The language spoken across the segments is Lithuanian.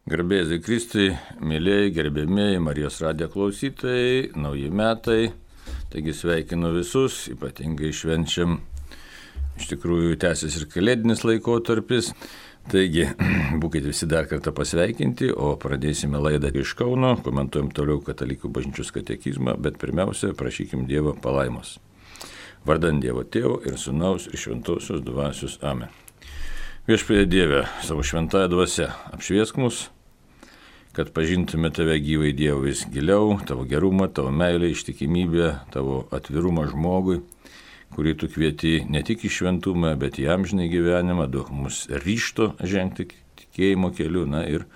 Garbėsiai Kristui, mėlyjei, gerbėmėjai, Marijos radijo klausytojai, nauji metai, taigi sveikinu visus, ypatingai švenčiam, iš tikrųjų tęsis ir kalėdinis laikotarpis, taigi būkite visi dar kartą pasveikinti, o pradėsime laidą iš Kauno, komentuojam toliau Katalikų bažnyčios katekizmą, bet pirmiausia, prašykim Dievo palaimos. Vardant Dievo Tėvo ir Sūnaus ir Šventosios Dvasios. Amen. Viešpatie Dieve, savo šventąją dvasią apšviesk mus, kad pažintume Tave gyvai Dievą vis giliau, Tavo gerumą, Tavo meilę, ištikimybę, Tavo atvirumą žmogui, kurį Tu kvieti ne tik į šventumą, bet į amžinį gyvenimą, duok mums ryžto žengti tikėjimo keliu, ir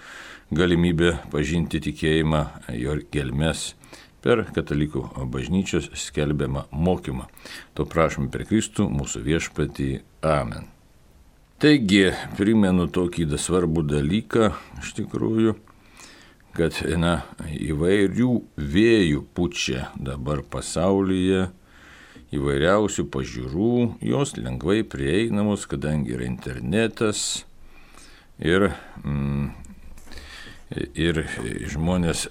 galimybę pažinti tikėjimą, jo gelmes per Katalikų bažnyčios skelbiamą mokymą. To prašom per Kristų, mūsų viešpatį. Amen. Taigi, primenu tokį svarbų dalyką, iš tikrųjų, kad įvairių vėjų pučia dabar pasaulyje, įvairiausių pažiūrų, jos lengvai prieinamos, kadangi yra internetas ir žmonės,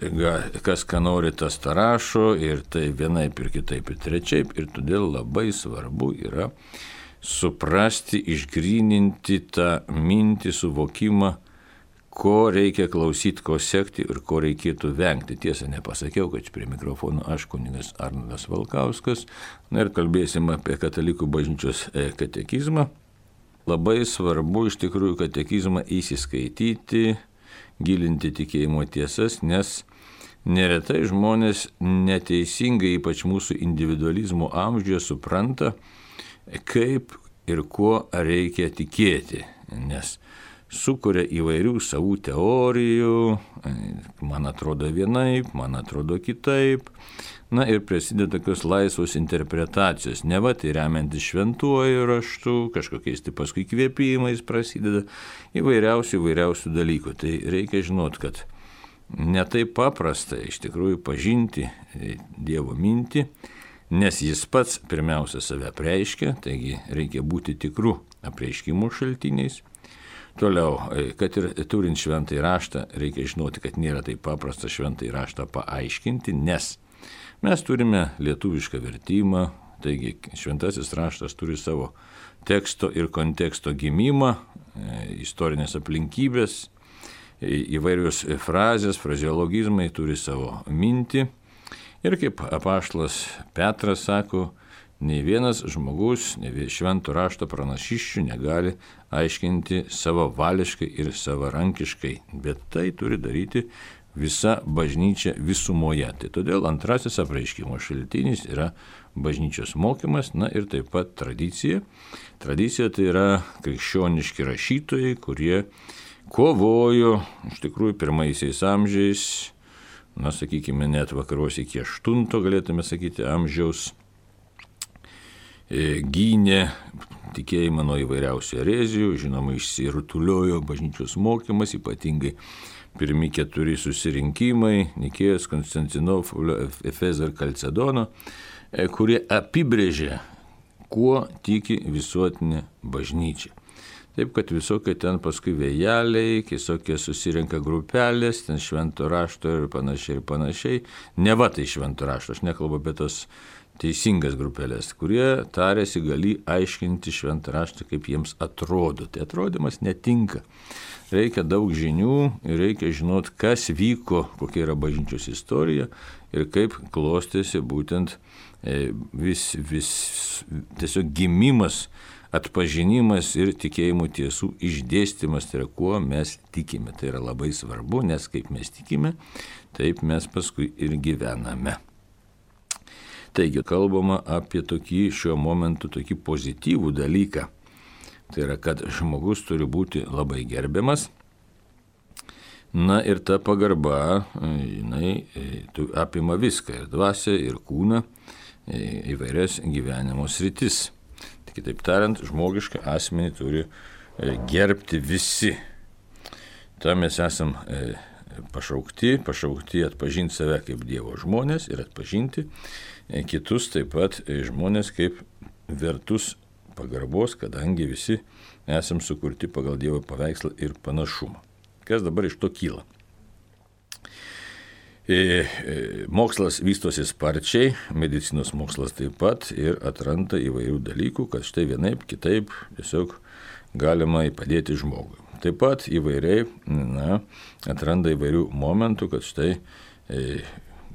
kas ką nori, tas tą rašo, ir tai vienaip ir kitaip ir trečiaip, ir todėl labai svarbu yra suprasti, išgryninti tą mintį, suvokimą, ko reikia klausyti, ko sekti ir ko reikėtų vengti. Tiesa, nepasakiau, kad prie mikrofono aš kunigas Arnoldas Valkauskas, ir kalbėsim apie Katalikų bažnyčios katekizmą. Labai svarbu iš tikrųjų katekizmą įsiskaityti, gilinti tikėjimo tiesas, nes neretai žmonės neteisingai, ypač mūsų individualizmo amžiuje, supranta, kaip ir kuo reikia tikėti, nes sukuria įvairių savų teorijų, man atrodo vienaip, man atrodo kitaip, ir prasideda tokios laisvos interpretacijos, neva tai remiantis šventuoju raštu, kažkokiais tai paskui kvėpimais prasideda įvairiausių dalykų. Tai reikia žinot, kad ne taip paprasta iš tikrųjų pažinti Dievo mintį, nes jis pats pirmiausia save apreiškia, taigi reikia būti tikrų apreiškimų šaltiniais. Toliau, kad ir turint šventąjį raštą, reikia žinoti, kad nėra taip paprasta šventąjį raštą paaiškinti, nes mes turime lietuvišką vertimą, taigi šventasis raštas turi savo teksto ir konteksto gimimą, istorinės aplinkybės, įvairios frazės, frazeologizmai turi savo mintį. Ir kaip apaštalas Petras sako, nei vienas žmogus, švento rašto pranašysčių negali aiškinti savavališkai ir savarankiškai, bet tai turi daryti visa bažnyčia visumoje. Tai todėl antrasis apreiškimo šaltinis yra bažnyčios mokymas, ir taip pat tradicija. Tradicija tai yra krikščioniški rašytojai, kurie kovojo iš tikrųjų pirmaisiais amžiais, sakykime, net vakaruose iki 8, galėtume sakyti, amžiaus, gynė tikėjimą nuo įvairiausių erezijų, žinoma, išsirutuliojo bažnyčios mokymas, ypatingai pirmi 4 susirinkimai, Nikėjos, Konstantinopolio, Efezo ir Kalcedono, kurie apibrėžė, kuo tiki visuotinė bažnyčia. Taip, kad visokie ten paskui vėjeliai, visokie susirenka grupelės, ten švento rašto ir panašiai. Neva tai švento rašto, aš nekalbu apie tos teisingas grupelės, kurie tarėsi gali aiškinti šventą raštą, kaip jiems atrodo. Tai atrodymas netinka. Reikia daug žinių ir reikia žinot, kas vyko, kokia yra bažnyčios istorija ir kaip klostėsi būtent tiesiog gimimas, atpažinimas ir tikėjimo tiesų išdėstymas, tai yra kuo mes tikime. Tai yra labai svarbu, nes kaip mes tikime, taip mes paskui ir gyvename. Taigi, kalbama apie tokį šiuo momentu tokį pozityvų dalyką. Tai yra, kad žmogus turi būti labai gerbiamas. Ir ta pagarba, jinai apima viską, ir dvasią, ir kūną, įvairias gyvenimo sritis. Kitaip tariant, žmogišką asmenį turi gerbti visi. Tam mes esam pašaukti atpažinti save kaip Dievo žmonės ir atpažinti kitus taip pat žmonės kaip vertus pagarbos, kadangi visi esam sukurti pagal Dievo paveikslą ir panašumą. Kas dabar iš to kyla? Mokslas vystosi sparčiai, medicinos mokslas taip pat ir atranda įvairių dalykų, kad štai vienaip, kitaip tiesiog galima padėti žmogui. Taip pat įvairiai atranda įvairių momentų, kad štai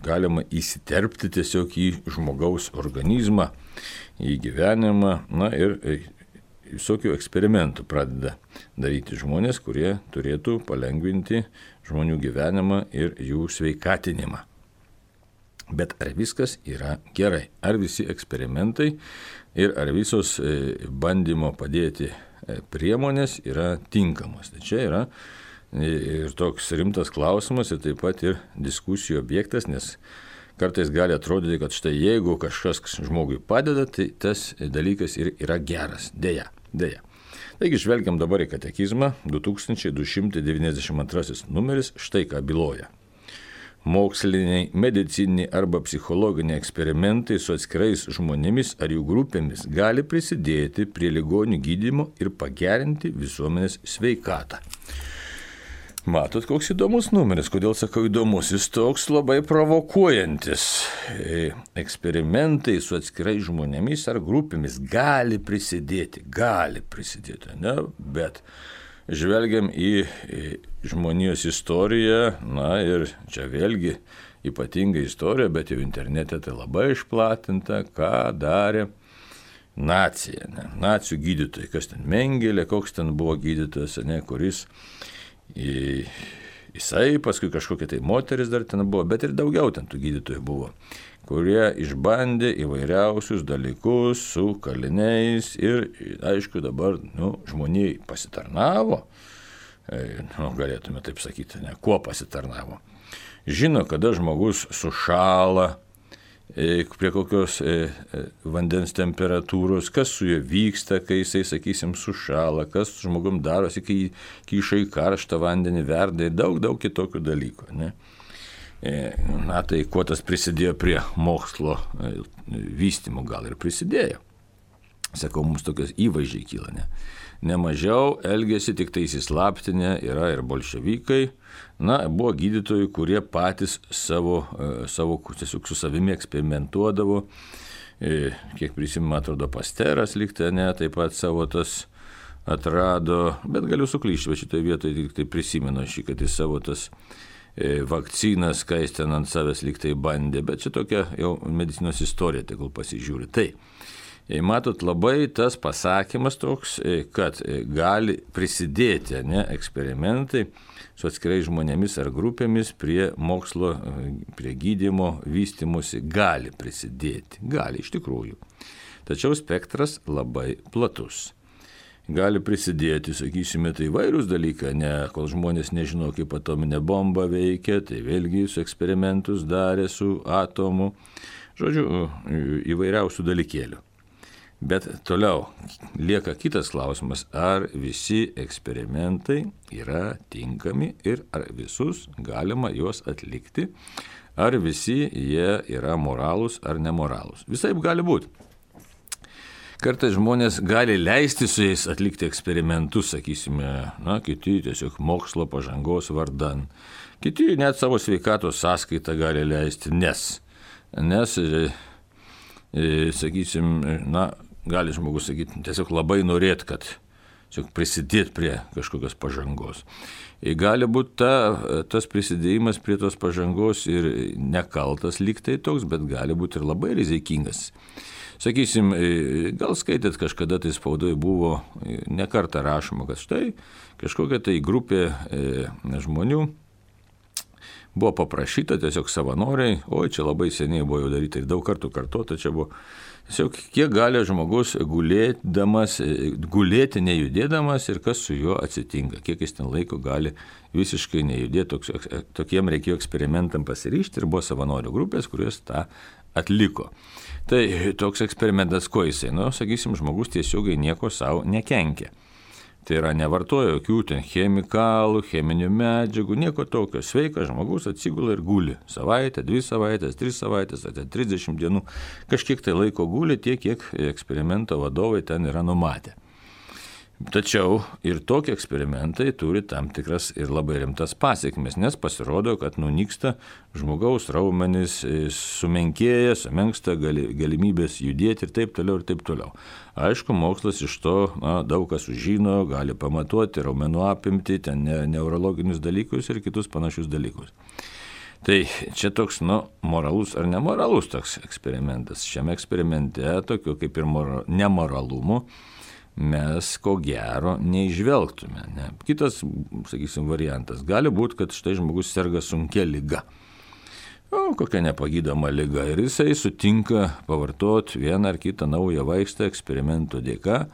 galima įsiterpti tiesiog į žmogaus organizmą, į gyvenimą, ir visokių eksperimentų pradeda daryti žmonės, kurie turėtų palengvinti žmonių gyvenimą ir jų sveikatinimą. Bet ar viskas yra gerai? Ar visi eksperimentai ir ar visos bandymo padėti priemonės yra tinkamos? Tai čia yra ir toks rimtas klausimas ir taip pat ir diskusijų objektas, nes kartais gali atrodyti, kad štai jeigu kažkas žmogui padeda, tai tas dalykas ir yra geras. Deja. Taigi žvelgiam dabar į katekizmą, 2292 numeris, štai ką byloja. Moksliniai, medicininiai arba psichologiniai eksperimentai su atskirais žmonėmis ar jų grupėmis gali prisidėti prie ligonių gydymo ir pagerinti visuomenės sveikatą. Matot, koks įdomus numeris. Kodėl sakau įdomus? Jis toks labai provokuojantis. Eksperimentai su atskirai žmonėmis ar grupėmis gali prisidėti, ne? Bet žvelgiam į žmonijos istoriją, ir čia vėlgi ypatinga istorija, bet jau internete tai labai išplatinta, ką darė nacija, nacių gydytojai, kas ten Mengelė, koks ten buvo gydytojas, kuris jisai, paskui kažkokia tai moteris dar ten buvo, bet ir daugiau ten tų gydytojų buvo, kurie išbandė įvairiausius dalykus su kaliniais ir, aišku, dabar žmonijai pasitarnavo, galėtume taip sakyti, kuo pasitarnavo. Žino, kada žmogus sušala, prie kokios vandens temperatūros, kas su juo vyksta, kai jisai, sakysim, sušala, kas su žmogum darosi, kai kyša į karštą vandenį, verda ir daug kitokių dalykų. Tai kuo tas prisidėjo prie mokslo vystymo, gal ir prisidėjo. Sakau, mums tokios įvaizdžiai kyla, Nemažiau elgėsi tik tai įsislaptinę, yra ir bolševikai. Buvo gydytojai, kurie patys savo tiesiog su savimi eksperimentuodavo. Kiek prisimenu, atrodo, Pasteras lygtai, taip pat savo tas atrado, bet galiu suklyšti, bet šitoje vietoje tik tai prisimenu kad jis savo tas vakcinas, kai jis ten ant savęs lygtai bandė, bet čia tokia jau medicinos istorija, tegul pasižiūri. Tai matot, labai tas pasakymas toks, kad gali prisidėti eksperimentai su atskirais žmonėmis ar grupėmis prie mokslo, prie gydymo, vystymosi, gali prisidėti. Gali iš tikrųjų. Tačiau spektras labai platus. Gali prisidėti, sakysime, tai įvairūs dalykai, kol žmonės nežino, kaip atominė bomba veikia, tai vėlgi su eksperimentus darė su atomu. Žodžiu, įvairiausių dalykėlių. Bet toliau lieka kitas klausimas, ar visi eksperimentai yra tinkami ir ar visus galima juos atlikti, ar visi jie yra moralūs ar nemoralūs. Visaip gali būti. Kartais žmonės gali leisti su jais atlikti eksperimentus, sakysime, kiti tiesiog mokslo pažangos vardan. Kiti net savo sveikatos sąskaitą gali leisti, nes sakysim, gali žmogus sakyti, tiesiog labai norėt, kad prisidėti prie kažkokios pažangos. Gali būti tas prisidėjimas prie tos pažangos ir nekaltas lygtai toks, bet gali būti ir labai rizikingas. Sakysim, gal skaitėt kažkada tai spaudoje buvo nekartą rašoma, kad štai kažkokia tai grupė žmonių buvo paprašyta tiesiog savanoriai, čia labai seniai buvo jau daryta ir daug kartų kartuota, čia buvo tiesiog kiek gali žmogus gulėti nejudėdamas ir kas su juo atsitinka, kiek jis ten laiko gali visiškai nejudėti, tokiem reikėjo eksperimentam pasiryžti ir buvo savanorių grupės, kurios tą atliko. Tai toks eksperimentas, ko jisai, sakysim, žmogus tiesiogiai nieko savo nekenkia. Tai yra nevartoja jokių ten chemikalų, cheminių medžiagų, nieko tokio. Sveikas žmogus atsigula ir guli. Savaitę, 2 savaitės, 3 savaitės, 30 dienų. Kažkiek tai laiko guli tiek, kiek eksperimento vadovai ten yra numatę. Tačiau ir tokie eksperimentai turi tam tikras ir labai rimtas pasiekmes, nes pasirodo, kad nunyksta žmogaus raumenys, sumenkėja, sumenksta galimybės judėti ir taip toliau ir taip toliau. Aišku, mokslas iš to daug kas sužino, gali pamatuoti raumenų apimtį, ten neurologinius dalykus ir kitus panašius dalykus. Tai čia toks, moralus ar nemoralus toks eksperimentas. Šiame eksperimente tokio kaip ir nemoralumo mes ko gero neižvelgtume. Ne? Kitas, sakysim, variantas gali būti, kad štai žmogus serga sunkia liga. Kokia nepagydoma liga. Ir jisai sutinka pavartoti vieną ar kitą naują vaistą eksperimento dėka.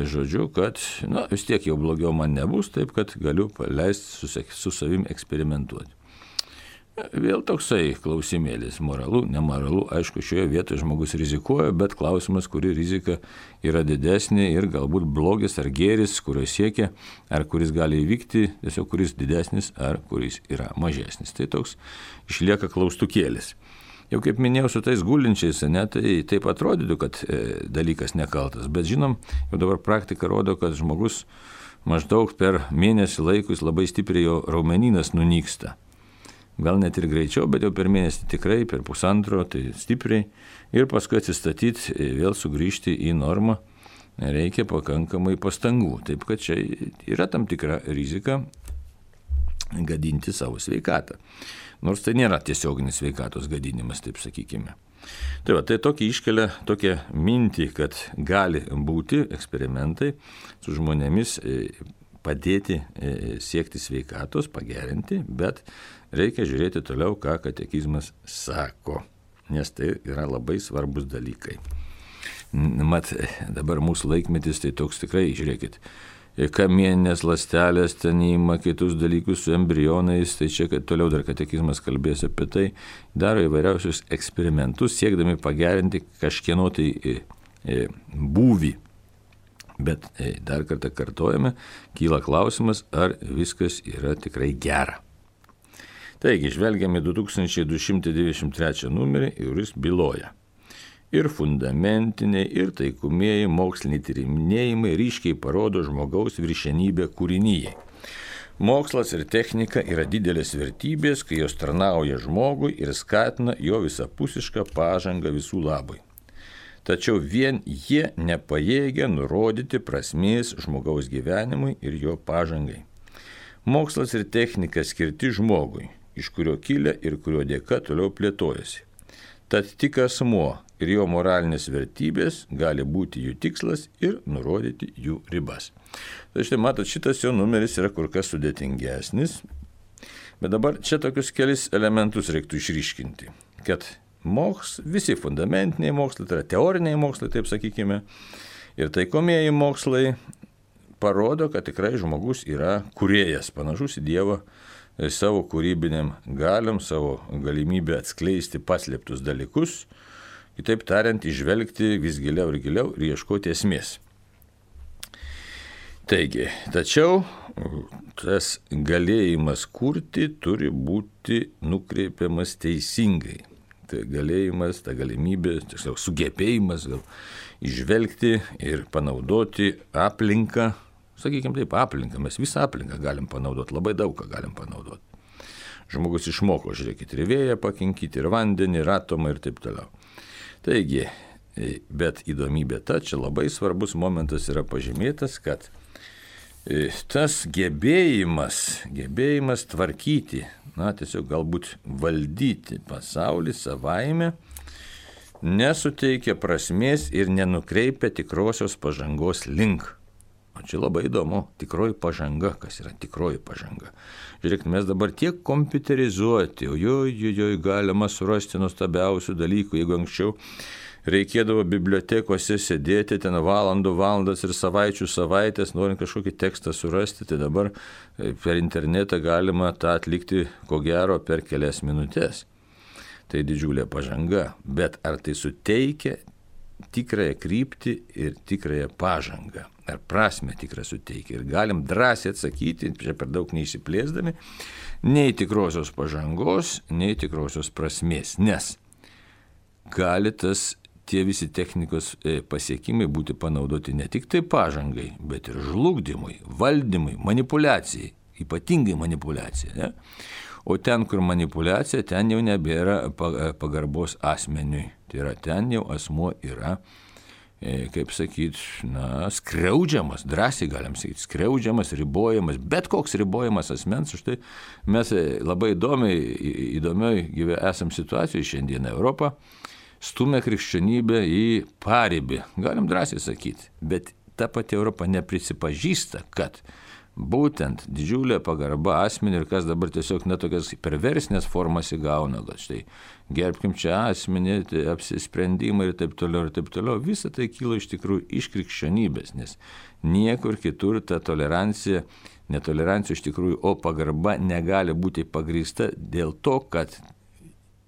Žodžiu, kad vis tiek jau blogiau man nebus, taip kad galiu leisti su savim eksperimentuoti. Vėl toksai klausimėlis, moralu, nemoralu, aišku, šioje vietoje žmogus rizikuoja, bet klausimas, kuri rizika yra didesnė ir galbūt blogis ar gėris, kurio siekia, ar kuris gali įvykti, tiesiog kuris didesnis ar kuris yra mažesnis. Tai toks išlieka klaustukėlis. Jau kaip minėjau, su tais gulinčiais, tai taip atrodytų, kad dalykas nekaltas, bet žinom, jau dabar praktika rodo, kad žmogus maždaug per mėnesį laikus labai stipriai jo raumenynas nunyksta. Gal net ir greičiau, bet jau per mėnesį tikrai, per pusantro, tai stipriai. Ir paskui atsistatyti, vėl sugrįžti į normą, reikia pakankamai pastangų. Taip, kad čia yra tam tikra rizika gadinti savo sveikatą. Nors tai nėra tiesioginis sveikatos gadinimas, taip sakykime. Tai tokį iškelia tokią mintį, kad gali būti eksperimentai su žmonėmis padėti siekti sveikatos, pagerinti, bet reikia žiūrėti toliau, ką katekizmas sako, nes tai yra labai svarbus dalykai. Mat, dabar mūsų laikmetis tai toks tikrai, žiūrėkit, kamieninės ląstelės, ten įima kitus dalykus su embrionais, tai čia toliau dar katekizmas kalbės apie tai, daro įvairiausius eksperimentus, siekdami pagerinti kažkieno tai būvį. Bet dar kartą kartojame, kyla klausimas, ar viskas yra tikrai gera. Taigi, žvelgiame 2293 numerį ir jis byloja. Ir fundamentiniai, ir taikomieji moksliniai tyrinėjimai ryškiai parodo žmogaus viršenybę kūrinyje. Mokslas ir technika yra didelės vertybės, kai jos tarnauja žmogui ir skatina jo visapusišką pažangą visų labui. Tačiau vien jie nepajėgia nurodyti prasmės žmogaus gyvenimui ir jo pažangai. Mokslas ir technika skirti žmogui, iš kurio kilę ir kurio dėka toliau plėtojasi. Tad tik asmuo ir jo moralinės vertybės gali būti jų tikslas ir nurodyti jų ribas. Tai štai matot, šitas jo numeris yra kur kas sudėtingesnis, bet dabar čia tokius kelis elementus reiktų išryškinti, kad visi fundamentiniai mokslai, tai yra teoriniai mokslai, taip sakykime, ir taikomieji mokslai parodo, kad tikrai žmogus yra kūrėjas, panašus į Dievą savo kūrybiniam galiam, savo galimybę atskleisti paslėptus dalykus, kitaip tariant, išvelgti vis giliau ir ieškoti esmės. Taigi, tačiau tas galėjimas kurti turi būti nukreipiamas teisingai. Tai galėjimas, ta galimybė, tiksliau sugebėjimas gal išvelgti ir panaudoti aplinką, sakykime taip, aplinką, mes visą aplinką galim panaudoti, labai daug ką galim panaudoti. Žmogus išmoko, žiūrėkit, ir vėją pakinkyti, ir vandenį, ir atomą ir taip toliau. Taigi, bet įdomybė ta, čia labai svarbus momentas yra pažymėtas, kad tas gebėjimas tvarkyti, tiesiog galbūt valdyti pasaulį savaime, nesuteikia prasmės ir nenukreipia tikrosios pažangos link. O čia labai įdomu, tikroji pažanga, kas yra tikroji pažanga. Žiūrėkit, mes dabar tiek kompiuterizuoti, galima surasti nuostabiausių dalykų, jeigu anksčiau reikėdavo bibliotekose sėdėti ten valandas ir savaitės, norint kažkokį tekstą surasti, tai dabar per internetą galima tą atlikti, ko gero, per kelias minutės. Tai didžiulė pažanga, bet ar tai suteikia tikrąją kryptį ir tikrąją pažangą? Ar prasmę tikrą suteikia? Ir galim drąsiai atsakyti, čia per daug neįsiplėsdami, nei tikrosios pažangos, nei tikrosios prasmės, nes gali tas tie visi technikos pasiekimai būti panaudoti ne tik tai pažangai, bet ir žlugdymui, valdymui, manipulacijai, ypatingai manipulacijai. Ne? O ten, kur manipulacija, ten jau nebėra pagarbos asmeniui. Tai yra, ten jau asmuo yra, kaip sakyti, skriaudžiamas, drąsiai galim sakyti, skriaudžiamas, ribojamas, bet koks ribojamas asmens. Už tai mes labai įdomiai esam situacijoje šiandien Europą, stumia krikščionybę į paribį, galim drąsiai sakyti, bet ta pati Europa neprisipažįsta, kad būtent didžiulė pagarba asmenį ir kas dabar tiesiog netokias perversinės formas įgauna, kad štai gerbkim čia asmenį, tai apsisprendimai ir taip toliau, visa tai kyla iš tikrųjų iš krikščionybės, nes niekur kitur ta netolerancija iš tikrųjų, o pagarba negali būti pagrįsta dėl to, kad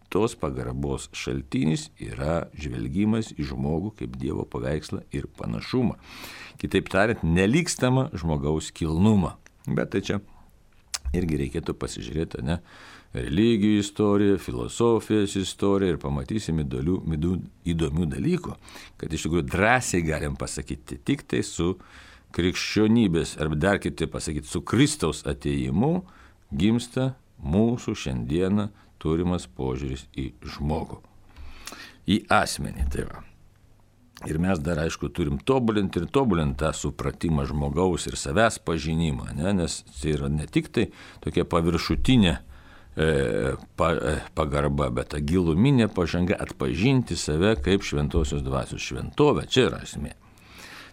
tos pagarbos šaltinis yra žvelgimas į žmogų kaip Dievo paveikslą ir panašumą. Kitaip tariant, nelygstama žmogaus kilnumą. Bet tai čia irgi reikėtų pasižiūrėti, religijų istoriją, filosofijos istoriją ir pamatysim įdomių dalykų, kad iš tikrųjų drąsiai galim pasakyti tik tai su krikščionybės, arba dar kitaip pasakyti, su Kristaus atėjimu gimsta mūsų šiandieną turimas požiūris į žmogų, į asmenį. Tai va. Ir mes dar, aišku, turim tobulinti tą supratimą žmogaus ir savęs pažinimą, nes tai yra ne tik tai tokia paviršutinė pagarba, bet ta giluminė pažanga atpažinti save kaip šventosios dvasios šventovę. Čia yra esmė.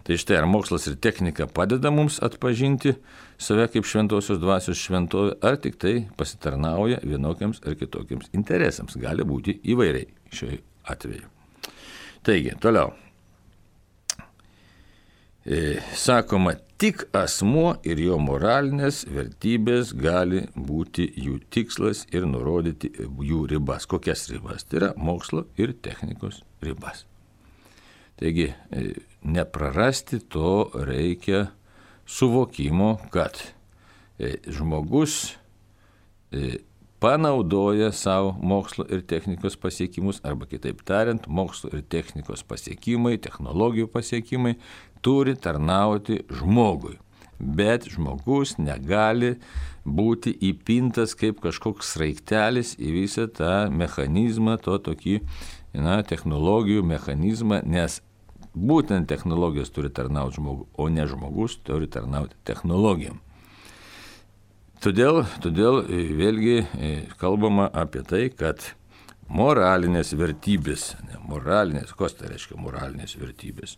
Tai štai, ar mokslas ir technika padeda mums atpažinti save kaip šventosios dvasios šventovę, ar tik tai pasitarnauja vienokiams ar kitokiams interesams. Gali būti įvairiai šiuo atveju. Taigi, toliau. Sakoma, tik asmuo ir jo moralinės vertybės gali būti jų tikslas ir nurodyti jų ribas. Kokias ribas? Tai yra mokslo ir technikos ribas. Taigi, neprarasti to reikia suvokimo, kad žmogus panaudoja savo mokslo ir technikos pasiekimus, arba kitaip tariant, mokslo ir technikos pasiekimai, technologijų pasiekimai turi tarnauti žmogui. Bet žmogus negali būti įpintas kaip kažkoks sraigtelis į visą tą mechanizmą, tokį technologijų mechanizmą, nes būtent technologijos turi tarnauti žmogui, o ne žmogus turi tarnauti technologijom. Todėl vėlgi kalbama apie tai, kad moralinės vertybės, kas tai reiškia moralinės vertybės?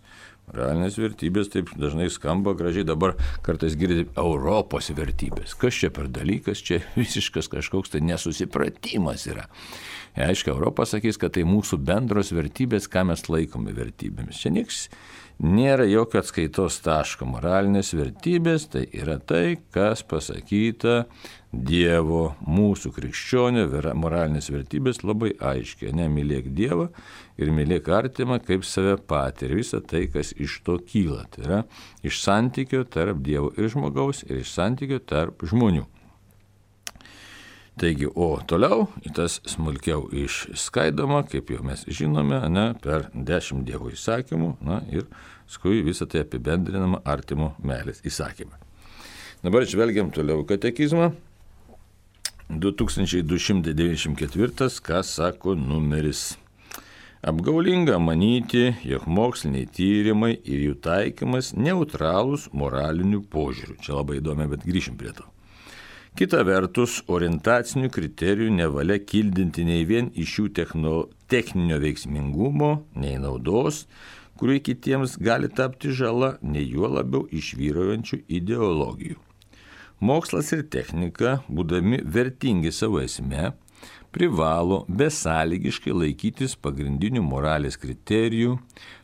Moralinės vertybės taip dažnai skamba gražiai, dabar kartais girdite Europos vertybės. Kas čia per dalykas, čia visiškas kažkoks tai nesusipratimas yra. Aiškiai, Europa sakys, kad tai mūsų bendros vertybės, ką mes laikome vertybėmis. Čia nieks nėra jokio atskaitos taško. Moralinės vertybės tai yra tai, kas pasakyta Dievo, mūsų krikščionio moralinės vertybės labai aiškiai. Mylėk Dievą ir mylėk artimą kaip save patį. Ir visa tai, kas iš to kyla. Tai yra iš santykio tarp Dievo ir žmogaus ir iš santykio tarp žmonių. Taigi, o toliau tas smulkiau išskaidoma, kaip jau mes žinome, per 10 Dievo įsakymų, ir skui visą tai apibendrinama artimo meilės įsakymą. Dabar žvelgiam toliau katekizmą. 2294, ką sako numeris. Apgaulinga manyti, jog moksliniai tyrimai ir jų taikymas neutralūs moralinių požiūrių. Čia labai įdomi, bet grįšim prie to. Kita vertus, orientacinių kriterijų nevalia kildinti nei vien iš jų techninio veiksmingumo, nei naudos, kuriuo kitiems gali tapti žala, nei juo labiau iš vyraujančių ideologijų. Mokslas ir technika, būdami vertingi savo esme, privalo besąlygiškai laikytis pagrindinių moralės kriterijų,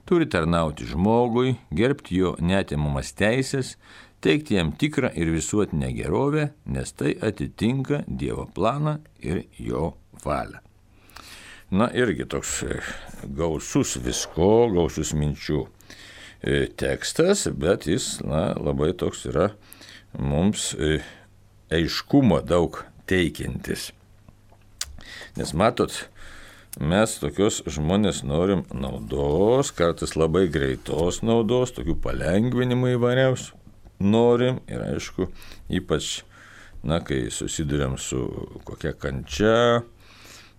turi tarnauti žmogui, gerbti jo neatimamas teisės, teikti jam tikrą ir visuotinę gerovę, nes tai atitinka Dievo planą ir jo valią. Irgi toks gausus gausus minčių tekstas, bet jis labai toks yra mums aiškumo daug teikiantis. Nes matot, mes tokios žmonės norim naudos, kartais labai greitos naudos, tokių palengvinimų įvairiausių norim ir aišku, ypač, kai susiduriam su kokia kančia,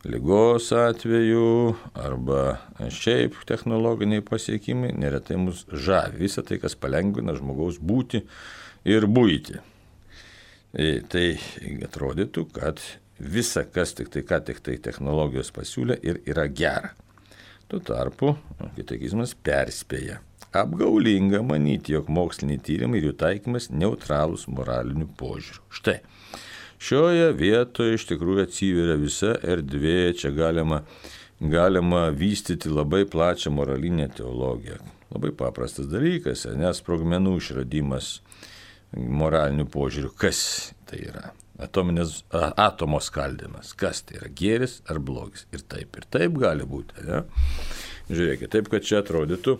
ligos atveju arba šiaip technologiniai pasiekimai, neretai mus žavi visą tai, kas palengvina žmogaus būtį ir buitį. Tai atrodytų, kad visa, kas tik tai technologijos pasiūlė ir yra gera. Tuo tarpu katekizmas perspėja. Apgaulinga manyti, jog moksliniai tyrimai ir jų taikymas neutralūs moraliniu požiūriu. Štai. Šioje vietoje iš tikrųjų atsiveria visa erdvė, čia galima vystyti labai plačią moralinę teologiją. Labai paprastas dalykas, nes sprogmenų išradimas moraliniu požiūriu, kas tai yra? Atomo skaldimas, kas tai yra, gėris ar blogis. Ir taip gali būti. Ne? Žiūrėkit, taip, kad čia atrodytų,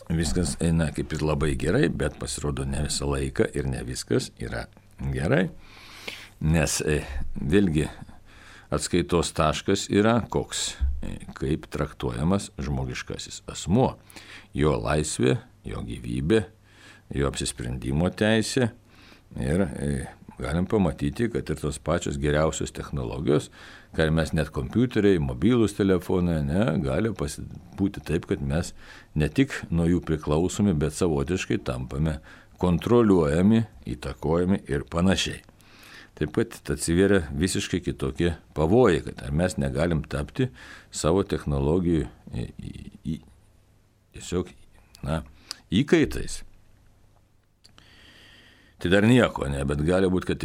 viskas eina kaip ir labai gerai, bet pasirodo ne visą laiką ir ne viskas yra gerai. Nes vėlgi atskaitos taškas yra koks, kaip traktuojamas žmogiškasis asmuo, jo laisvė, jo gyvybė, jo apsisprendimo teisė ir galim pamatyti, kad ir tos pačios geriausios technologijos, kad mes net kompiuteriai, mobilūs telefonai, gali būti taip, kad mes ne tik nuo jų priklausomi, bet savotiškai tampame kontroliuojami, įtakojami ir panašiai. Taip pat atsiveria visiškai kitokie pavojai, kad mes negalim tapti savo technologijų tiesiog įkaitais. Tai dar nieko, bet gali būti, kad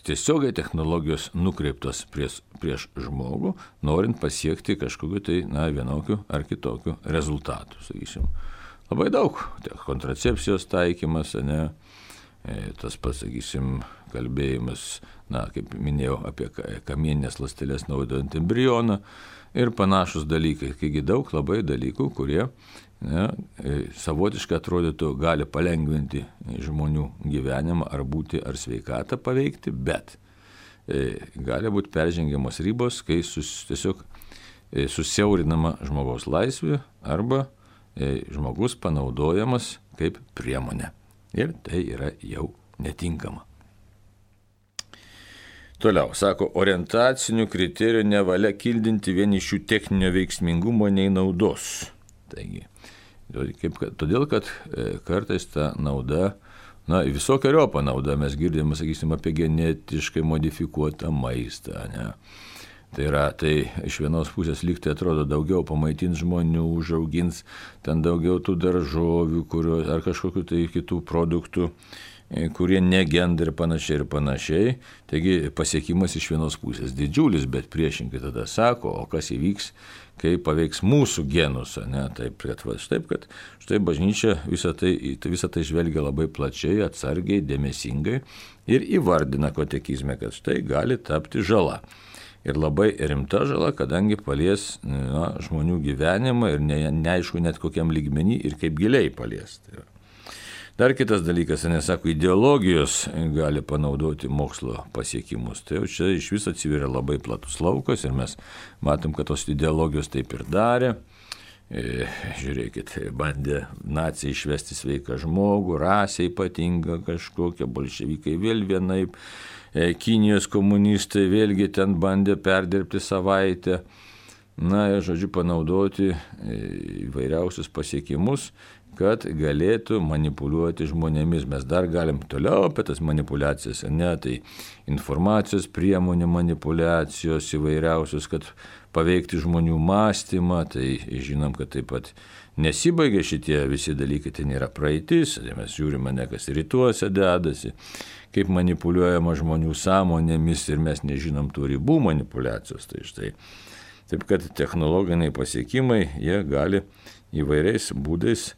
tiesiogiai technologijos nukreiptos prieš žmogų, norint pasiekti kažkokiu tai vienokiu ar kitokiu rezultatu. Sakysim, labai daug kontracepcijos taikymas, tas pats, sakysim, kalbėjimas, kaip minėjau, apie kamieninės ląsteles naudojant embrioną ir panašus dalykai. Taigi daug labai dalykų, kurie savotiškai atrodytų gali palengvinti žmonių gyvenimą ar būti ar sveikatą paveikti, bet gali būti peržengiamos ribos, kai tiesiog susiaurinama žmogaus laisvė arba žmogus panaudojamas kaip priemonė. Ir tai yra jau netinkama. Toliau, sako, orientacinių kriterijų nevalia kildinti vien iš jų techninio veiksmingumo nei naudos. Taigi, todėl, kad kartais ta nauda, visokiojopą naudą mes girdėjome, sakysim, apie genetiškai modifikuotą maistą, Tai iš vienos pusės lygtai atrodo daugiau pamaitins žmonių, užaugins ten daugiau tų daržovių ar kažkokių tai kitų produktų, kurie negenda ir panašiai. Taigi pasiekimas iš vienos pusės didžiulis, bet priešingai tada sako, o kas įvyks, kai paveiks mūsų genus. Taip, kad štai bažnyčia visą tai žvelgia labai plačiai, atsargiai, dėmesingai ir įvardina katekizme, kad štai gali tapti žala. Ir labai rimta žala, kadangi palies žmonių gyvenimą ir neaišku net kokiam lygmenį ir kaip giliai palies. Dar kitas dalykas, sako, ideologijos gali panaudoti mokslo pasiekimus. Tai jau čia iš viso atsiveria labai platus laukas ir mes matom, kad tos ideologijos taip ir darė. Žiūrėkit, bandė naciai išvesti sveiką žmogų, rasę ypatingą kažkokią, bolševikai vėl vienaip, Kinijos komunistai vėlgi ten bandė perdirbti savaitę, žodžiu, panaudoti įvairiausius pasiekimus, kad galėtų manipuliuoti žmonėmis. Mes dar galim toliau apie tas manipulacijas, tai informacijos priemonių manipulacijos įvairiausios, kad paveikti žmonių mąstymą, tai žinom, kad taip pat nesibaigia šitie visi dalykai, tai nėra praeitis, tai mes žiūrime, kas rytuose dedasi, kaip manipuliuojama žmonių sąmonėmis ir mes nežinom tų ribų manipulacijos. Tai štai, taip kad technologiniai pasiekimai, jie gali įvairiais būdais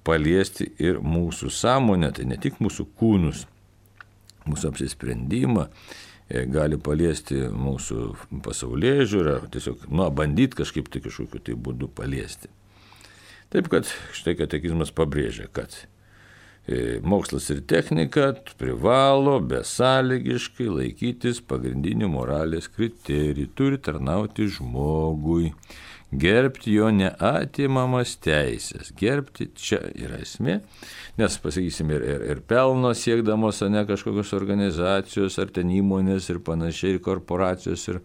paliesti ir mūsų sąmonę, tai ne tik mūsų kūnus, mūsų apsisprendimą, gali paliesti mūsų pasaulėžiūrą, tiesiog bandyti kažkaip tai kažkokiu tai būdu paliesti. Taip kad štai katekizmas pabrėžia, kad mokslas ir technika privalo besąlygiškai laikytis pagrindinių moralės kriterijų, turi tarnauti žmogui, gerbti jo neatimamas teisės. Gerbti čia yra esmė, nes, pasakysim, ir pelno siekdamos, ne kažkokios organizacijos, ar ten įmonės ir panašiai, ir korporacijos, ir,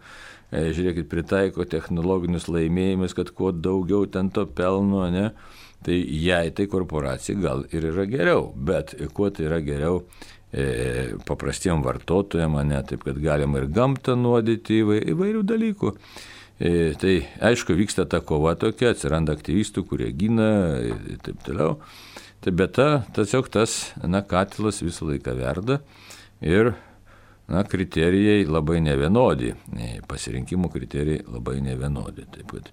žiūrėkit, pritaiko technologinius laimėjimus, kad kuo daugiau ten to pelno, ne, tai jai tai korporacijai gal ir yra geriau, bet kuo tai yra geriau paprastiem vartotojam, ne, taip kad galima ir gamtą nuodyti įvairių dalykų. Tai aišku, vyksta ta kova tokia, atsiranda aktyvistų, kurie gina ir taip toliau. Tai bet tiesiog tas katilas visą laiką verda ir kriterijai labai nevienodi, pasirinkimų kriterijai labai nevienodi. Taip kad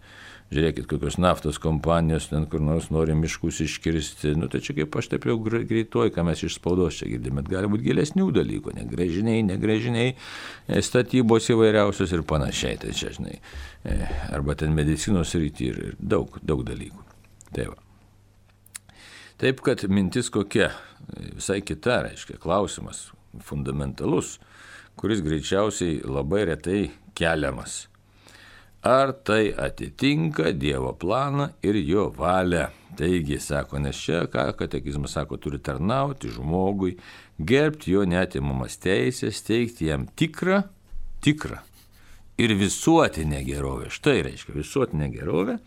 žiūrėkit, kokios naftos kompanijos ten kur nors nori miškus iškirsti, tai čia kaip aš taip jau greituoju, ką mes iš spaudos čia girdime, bet gali būti gilesnių dalykų, negręžiniai, statybos įvairiausios ir panašiai, tai čia, žinai, arba ten medicinos rytį ir daug dalykų. Taip, kad mintis kokia, visai kita, reiškia, klausimas fundamentalus, kuris greičiausiai labai retai keliamas. Ar tai atitinka Dievo planą ir jo valią? Taigi, sako, nes čia, ką katekizmas sako, turi tarnauti žmogui, gerbti jo neatimamas teisės, teikti jam tikrą ir visuotinę gerovę. Štai reiškia visuotinę gerovę,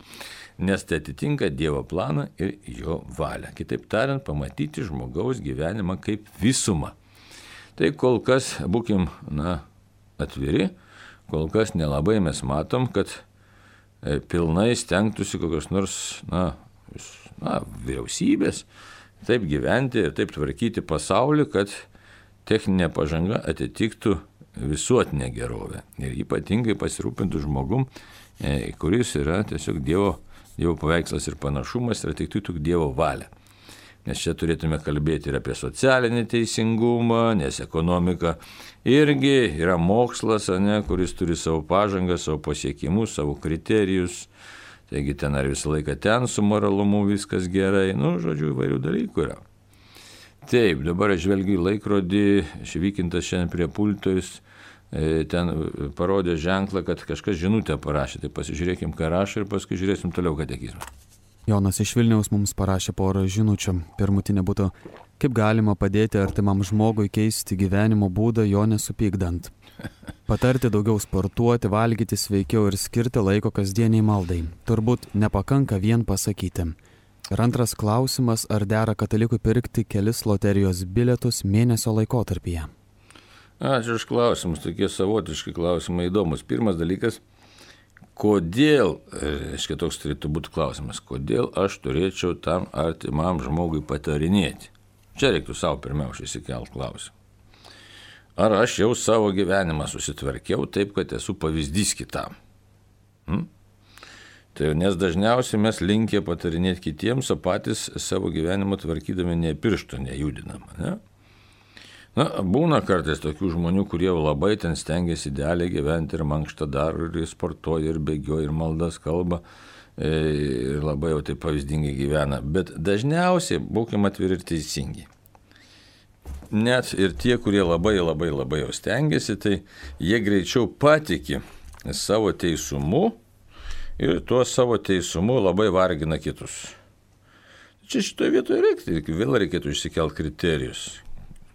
nes tai atitinka Dievo planą ir jo valią. Kitaip tariant, pamatyti žmogaus gyvenimą kaip visumą. Tai kol kas būkim, atviri, kol kas nelabai mes matom, kad pilnai stengtųsi kokios nors, vyriausybės taip gyventi ir taip tvarkyti pasaulį, kad techninė pažanga atitiktų visuotinę gerovę. Ir ypatingai pasirūpintų žmogum, kuris yra tiesiog Dievo paveikslas ir panašumas ir atitiktų Dievo valią. Nes čia turėtume kalbėti ir apie socialinį teisingumą, nes ekonomika irgi yra mokslas, kuris turi savo pažangą, savo pasiekimus, savo kriterijus. Taigi ten ar visą laiką ten su moralumu viskas gerai, žodžiu, įvairių dalykų yra. Taip, dabar aš žvelgiu į laikrodį, Švykintas šiandien prie pulto, jis ten parodė ženklą, kad kažkas žinutę parašė. Tai pasižiūrėkim, ką rašo ir paskui žiūrėsim toliau katekizmą. Jonas iš Vilniaus mums parašė porą žinučių. Pirmutinė būtų, kaip galima padėti artimam žmogui keisti gyvenimo būdą, jo nesupykdant. Patarti daugiau sportuoti, valgyti sveikiau ir skirti laiko kasdieniai maldai. Turbūt nepakanka vien pasakyti. Ir antras klausimas, ar dera katalikui pirkti kelis loterijos bilietus mėnesio laikotarpyje? Ačiū už klausimus, tokie savotiški klausimai įdomus. Pirmas dalykas, kodėl, reiškia, toks turėtų būti klausimas, kodėl aš turėčiau tam artimam žmogui patarinėti? Čia reiktų savo pirmiausia įsikelt klausimą. Ar aš jau savo gyvenimą susitvarkiau taip, kad esu pavyzdys kitam? Tai nes dažniausiai mes linkę patarinėti kitiems, o patys savo gyvenimą tvarkydami ne piršto nejudinam, ne? Būna kartais tokių žmonių, kurie labai ten stengiasi idealiai gyventi ir mankštą daro, ir sportuoja, ir bėgioja, ir maldas kalba, ir labai jau taip pavyzdingai gyvena. Bet dažniausiai būkime atviri ir teisingi. Net ir tie, kurie labai jau stengiasi, tai jie greičiau patiki savo teisumu ir tuo savo teisumu labai vargina kitus. Čia šitoje vietoje vėl reikėtų išsikelt kriterijus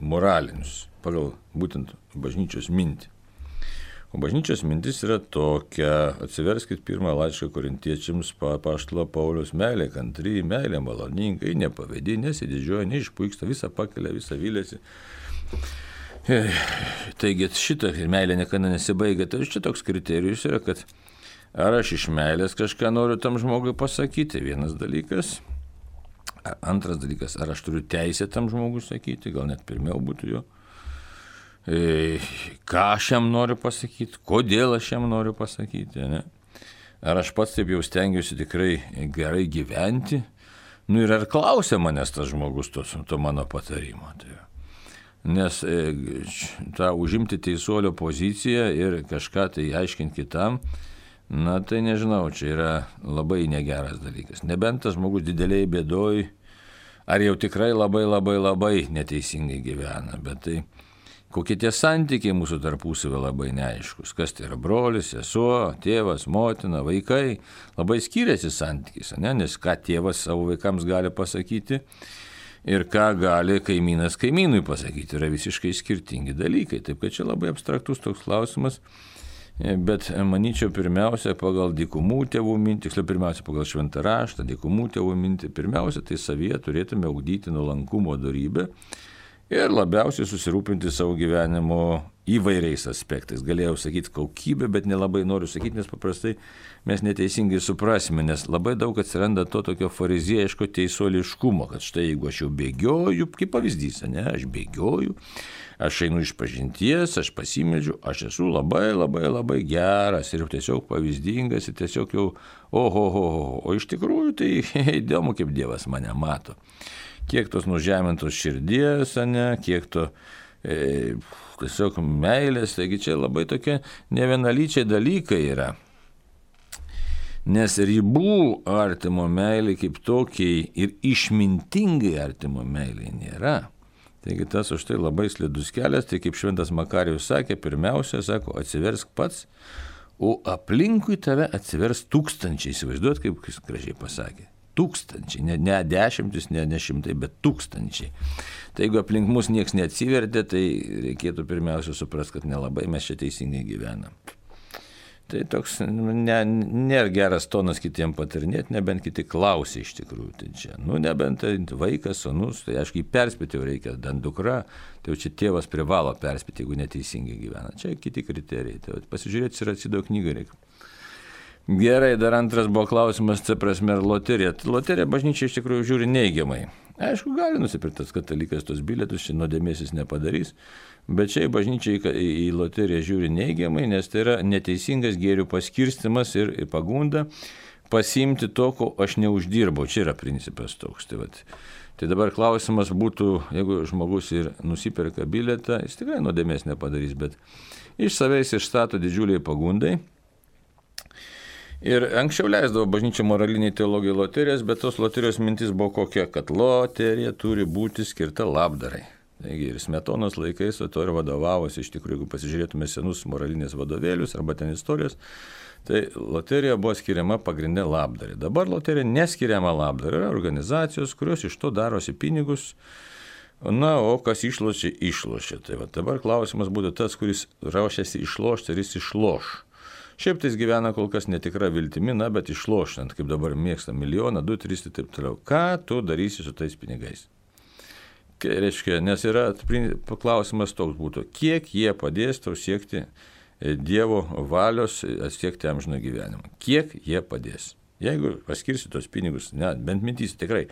moralinius, pagal būtent bažnyčios mintį. O bažnyčios mintis yra tokia, atsiverskit pirmą laišką Korintiečiams apaštalo Pauliaus: meilė kantri, meilė maloninga, nepavedi, nesididžiuoja, neišpuiksta, visą pakelia, visą vylėsi. Taigi šitą meilė niekada nesibaigia. Tai čia toks kriterijus yra, kad ar aš iš meilės kažką noriu tam žmogui pasakyti, vienas dalykas. Antras dalykas, ar aš turiu teisę tam žmogui sakyti, gal net pirmiau būtų jo. Ką aš jam noriu pasakyti, kodėl aš jam noriu pasakyti, ne? Ar aš pats taip jau stengiuosi tikrai gerai gyventi, ir ar klausia manęs tas žmogus to mano patarimo. Nes tą užimti teisuolio poziciją ir kažką tai aiškinti kitam, tai nežinau, čia yra labai negeras dalykas. Nebent tas žmogus dideliai bėdoj, ar jau tikrai labai neteisingai gyvena, bet tai kokie tie santykiai mūsų tarpusavio labai neaiškus, kas tai yra brolis, sesuo, tėvas, motina, vaikai, labai skiriasi santykis, ne? Nes ką tėvas savo vaikams gali pasakyti ir ką gali kaimynas kaimynui pasakyti, yra visiškai skirtingi dalykai, taip kad čia labai abstraktus toks klausimas. Bet manyčiau, pirmiausia, pagal dykumų tėvų mintį, tiksliau pirmiausia, pagal šventą raštą, dykumų tėvų mintį, pirmiausia, tai savyje turėtume ugdyti nuolankumo dorybę ir labiausiai susirūpinti savo gyvenimo įvairiais aspektais. Galėjau sakyti kokybę, bet nelabai noriu sakyti, nes paprastai mes neteisingai suprasime, nes labai daug atsiranda to tokio fariziejiško teisuoliškumo, kad štai jeigu aš jau bėgioju, kaip pavyzdys, ne, aš bėgioju, aš einu iš pažinties, aš pasimeldžiu, aš esu labai geras ir tiesiog pavyzdingas ir tiesiog jau o iš tikrųjų tai įdomu, kaip Dievas mane mato. Kiek tos nužemintos širdies, ne, kiek to tiesiog meilės, taigi čia labai tokie nevienalyčiai dalykai yra. Nes ribų artimo meilė kaip tokiai ir išmintingai artimo meilė nėra. Taigi tas už tai labai slidus kelias, tai kaip šventas Makarijus sakė, pirmiausia, sako, atsiversk pats, o aplinkui tave atsivers tūkstančiai, įsivaizduot, kaip jis gražiai pasakė. Tūkstančiai, ne dešimtis, ne šimtai, bet tūkstančiai. Tai jeigu aplink mus nieks neatsivertė, tai reikėtų pirmiausia suprasti, kad nelabai mes čia teisingai gyvenam. Tai toks nėra geras tonas kitiem patarinėti, nebent kiti klausia iš tikrųjų. Tai čia, nebent tai vaikas, sūnus, tai aišku, jį perspėti jau reikia, dan dukra, tai jau čia tėvas privalo perspėti, jeigu neteisingai gyvena. Čia kiti kriterijai. Tai pasižiūrėti ir atsido knygą reikia. Gerai, dar antras buvo klausimas, tai prasme, ar loterija. Loterija bažnyčia iš tikrųjų žiūri neigiamai. Aišku, gali nusipirkti tas katalikas tos bilietus, čia nuodėmės nepadarys, bet čia bažnyčia į loteriją žiūri neigiamai, nes tai yra neteisingas gėrių paskirstimas ir pagunda pasiimti to, ko aš neuždirbau. Čia yra principas toks. Tai dabar klausimas būtų, jeigu žmogus ir nusipirka bilietą, jis tikrai nuodėmės nepadarys, bet iš savęs išstato didžiuliai pagundai. Ir anksčiau leisdavo bažnyčia moraliniai teologijai loterijas, bet tos loterijos mintis buvo kokia, kad loterija turi būti skirta labdarai. Taigi ir Smetonos laikais to ir vadovavosi, iš tikrųjų, jeigu pasižiūrėtume senus moralinės vadovėlius arba ten istorijos, tai loterija buvo skiriama pagrindė labdarai. Dabar loterija neskiriama labdarai, yra organizacijos, kurios iš to darosi pinigus, o kas išlošia. Tai dabar klausimas būtų tas, kuris ruošiasi išlošti, ar jis išloš. Šiaip tai jis gyvena kol kas netikra viltimi, bet išloštant, kaip dabar mėgsta 1, 2, 3 ir taip toliau. Ką tu darysi su tais pinigais? Reiškia, nes yra klausimas toks būtų, kiek jie padės tau siekti Dievo valios, siekti amžino gyvenimą. Kiek jie padės? Jeigu paskirsi tos pinigus, bent mintys tikrai,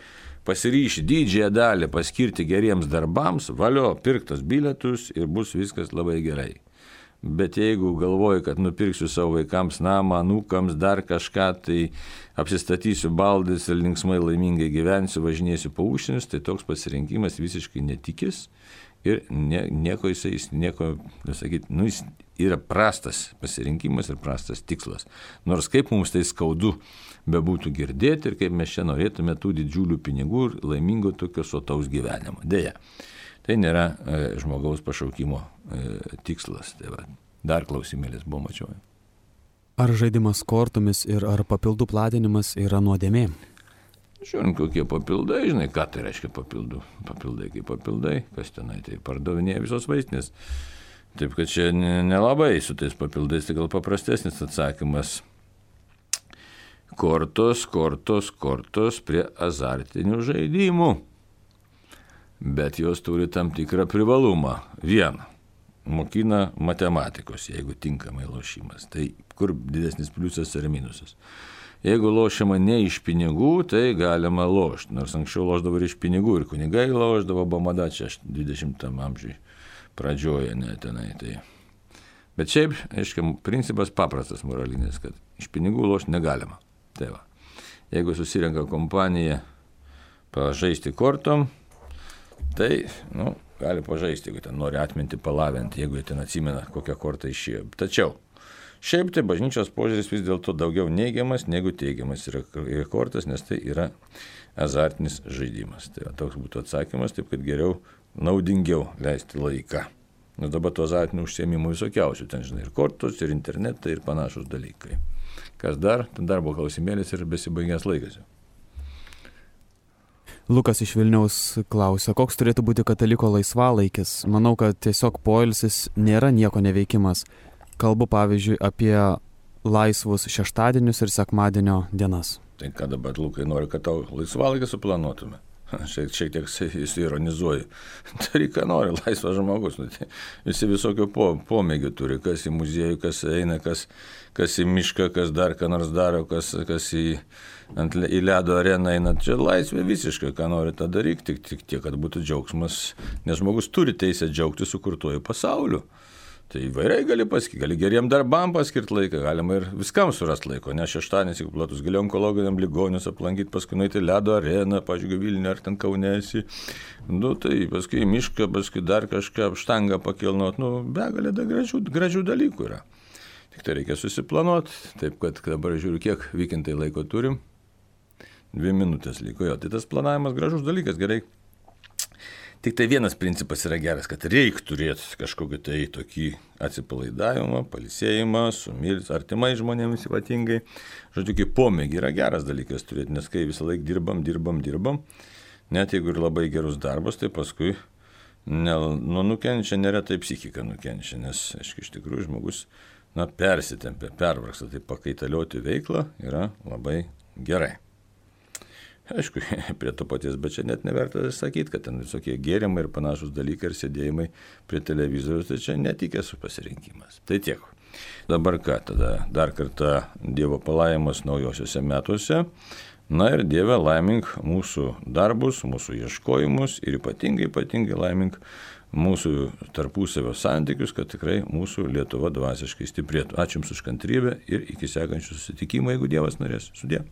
pasiryši didžiąją dalį paskirti geriems darbams, valio, pirk tos bilietus ir bus viskas labai gerai. Bet jeigu galvoju, kad nupirksiu savo vaikams namą, anūkams, dar kažką, tai apsistatysiu baldais ir linksmai laimingai gyvensiu, važinėsiu po užsienius, tai toks pasirinkimas visiškai netikis ir jis yra prastas pasirinkimas ir prastas tikslas. Nors kaip mums tai skaudu bebūtų girdėti ir kaip mes čia norėtume tų didžiulių pinigų ir laimingo tokio sotaus gyvenimo. Deja. Tai nėra žmogaus pašaukimo tikslas. Tai dar klausimėlis buvo, mačiau. Ar žaidimas kortomis ir ar papildų platinimas yra nuodėmė? Žiūrint, kokie papildai, žinai, ką tai reiškia papildų. Papildai kaip papildai, kas tenai, tai pardavinėja visos vaistinės. Taip, kad čia nelabai su tais papildais, tai gal paprastesnis atsakymas. Kortos prie azartinių žaidimų. Bet jos turi tam tikrą privalumą. Vieną, mokina matematikos, jeigu tinkamai lošimas. Tai kur didesnis pliusas ar minusas. Jeigu lošiama ne iš pinigų, tai galima lošti. Nors anksčiau lošdavo ir iš pinigų, ir kunigai lošdavo, bamada čia 20 amžiui pradžioje netenai. Tai. Bet šiaip, aiškiai, principas paprastas moralinis, kad iš pinigų lošti negalima. Tai va. Jeigu susirenka kompanija pažaisti kortom, tai, gali pažaisti, jeigu ten nori atminti, palavinti, jeigu ten atsimena, kokią kortą išėjo. Tačiau, Šiaip tai bažnyčios požiūris vis dėlto daugiau neigiamas negu teigiamas yra kortas, nes tai yra azartinis žaidimas. Tai toks būtų atsakymas, taip kad geriau, naudingiau leisti laiką. Nes dabar to azartinių užsiėmimų visokiausių, ten žinai, ir kortos, ir internetai, ir panašus dalykai. Kas dar, ten darbo klausimėlis ir besibaigęs laikas. Lukas iš Vilniaus klausia, koks turėtų būti kataliko laisvalaikis. Manau, kad tiesiog poilsis nėra nieko neveikimas. Kalbu pavyzdžiui apie laisvus šeštadienius ir sekmadienio dienas. Tai ką dabar, Lukai, nori, kad tau laisvalaikį suplanuotume? Šiek tiek ironizuoju. Tai ką nori, laisvas žmogus. Visi visokio pomėgių turi, kas į muziejų, kas eina, kas į mišką, kas dar ką nors daro, kas į ledo areną eina. Čia laisvė visiškai, ką nori tą daryti, tik tiek, kad būtų džiaugsmas, nes žmogus turi teisę džiaugti sukurtuoju pasauliu. Tai įvairiai gali geriem darbam paskirti laiką, galima ir viskam surasti laiko, ne šeštadienis, jeigu platus, gali onkologiniam ligonius aplankyti, paskui nueiti ledo areną, pažiūrėjau, Vilnių ar ten Kaunėsi, tai paskui mišką, paskui dar kažką štangą pakilnot, begalė gražių dalykų yra. Tik tai reikia susiplanuoti, taip kad dabar žiūriu, kiek vykintai laiko turim, 2 minutės liko, tai tas planavimas gražus dalykas, gerai. Tik tai vienas principas yra geras, kad reikia turėti kažkokį tai tokį atsipalaidavimą, pailsėjimą, su artimai žmonėmis ypatingai. Žodžiu, kaip pomėgį yra geras dalykas turėti, nes kai visą laiką dirbam, net jeigu ir labai gerus darbus, tai paskui nukenčia, neretai psichika nukenčia, nes, aišku, iš tikrųjų žmogus persitempia, pervargsta, tai pakaitalioti veiklą yra labai gerai. Aišku, prie to paties, bet čia net neverta sakyti, kad ten visokie gėrimai ir panašus dalykai ir sėdėjimai prie televizorius, tai čia netikės pasirinkimas. Tai tiek. Dabar ką, tada dar kartą Dievo palaiminimos naujosiuose metuose. Ir Dieve laimink mūsų darbus, mūsų ieškojimus ir ypatingai laimink mūsų tarpusavio santykius, kad tikrai mūsų Lietuva dvasiškai stiprėtų. Ačiū Jums už kantrybę ir iki sekančių susitikimų, jeigu Dievas norės. Sudie.